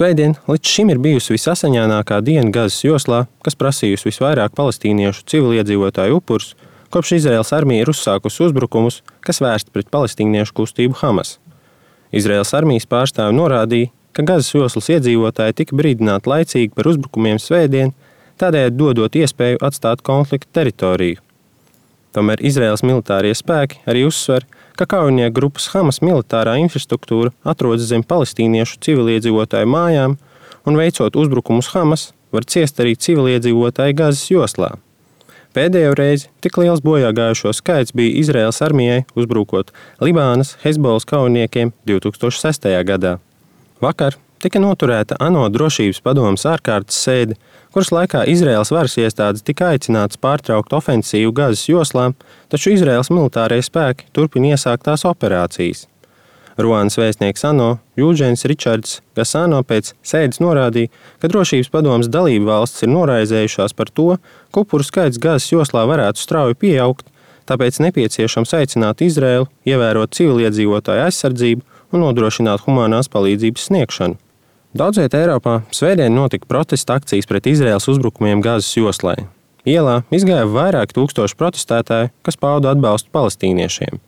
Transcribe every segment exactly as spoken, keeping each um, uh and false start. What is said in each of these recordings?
Svētdien līdz šim ir bijusi visasaņainākā diena Gazas joslā, kas prasījusi visvairāk palestīniešu civiliedzīvotāju upurus, kopš Izraēlas armija ir uzsākusi uzbrukumus, kas vērsti pret palestīniešu kustību Hamas. Izraēlas armijas pārstāvi norādīja, ka Gazas joslas iedzīvotāji tika brīdināti laicīgi par uzbrukumiem svētdien, tādējādi dodot iespēju atstāt konflikta teritoriju. Tomēr Izraēlas militārie spēki arī uzsver, ka kaujinieku grupas Hamas militārā infrastruktūra atrodas zem palestīniešu civiliedzīvotāju mājām, un veicot uzbrukumus Hamas, var ciest arī civiliedzīvotāji Gazas joslā. Pēdējo reizi tik liels bojāgājušo skaits bija Izraēlas armijai uzbrukot Libānas Hezbollas kaujiniekiem divi tūkstoši sestajā gadā. Vakar tika noturēta ANO drošības padomes ārkārtas sēde, kuras laikā Izraēlas varas iestādes tika aicinātas pārtraukt ofensīvu Gazas joslā, taču Izraēlas militārie spēki turpina iesāktās operācijas. Ruandas vēstnieks ANO Jūdžens Ričards Gasano pēc sēdes norādīja, ka drošības padomes dalību valstis ir noraizējušās par to, ka upuru skaits Gazas joslā varētu strauji pieaugt, tāpēc nepieciešams aicināt Izraēlu ievērot civiliedzīvotāju aizsardzību un nodrošināt humanās palīdzības sniegšanu. Daudz vietā Eiropā svētdien notika protesta akcijas pret Izraēlas uzbrukumiem Gazas joslai. Ielā izgāja vairāki tūkstoši protestētāju, kas pauda atbalstu palestīniešiem.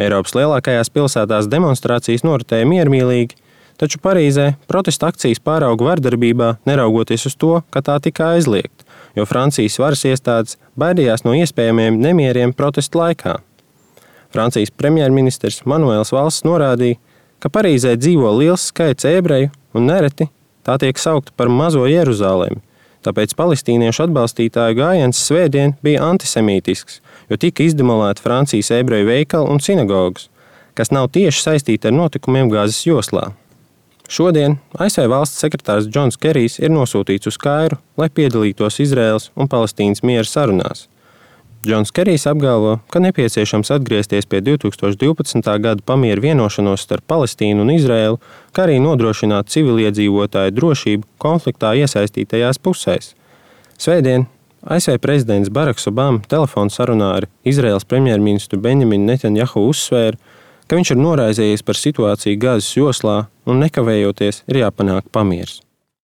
Eiropas lielākajās pilsētās demonstrācijas noritēja miermīlīgi, taču Parīzē protesta akcijas pārauga vardarbībā, neraugoties uz to, ka tā tika aizliegta, jo Francijas varas iestādes baidījās no iespējamiem nemieriem protestu laikā. Francijas premjerministrs Manuels Valls norādīja, ka Parīzē dzīvo liels skaits ebreju un nereti tā tiek saukta par mazo Jeruzalemi. Tāpēc palestīniešu atbalstītāju gājiens svētdien bija antisemītisks, jo tika izdemolēti Francijas ebreju veikali un sinagogas, kas nav tieši saistīti ar notikumiem Gazas joslā. Šodien A S V valsts sekretārs Džons Kerijs ir nosūtīts uz Kairu, lai piedalītos Izraēlas un Palestīnas miera sarunās. Džons Kerijs apgalvo, ka nepieciešams atgriezties pie divi tūkstoši divpadsmitā gada pamiera vienošanos starp Palestīnu un Izraēlu, kā arī nodrošināt civiliedzīvotāju drošību konfliktā iesaistītajās pusēs. Svētdien A S V prezidents Baraks Obama telefona sarunā ar Izraēlas premjerministru Benjaminu Netanjahu uzsvēra, ka viņš ir noraizējies par situāciju Gazas joslā un nekavējoties ir jāpanāk pamiers.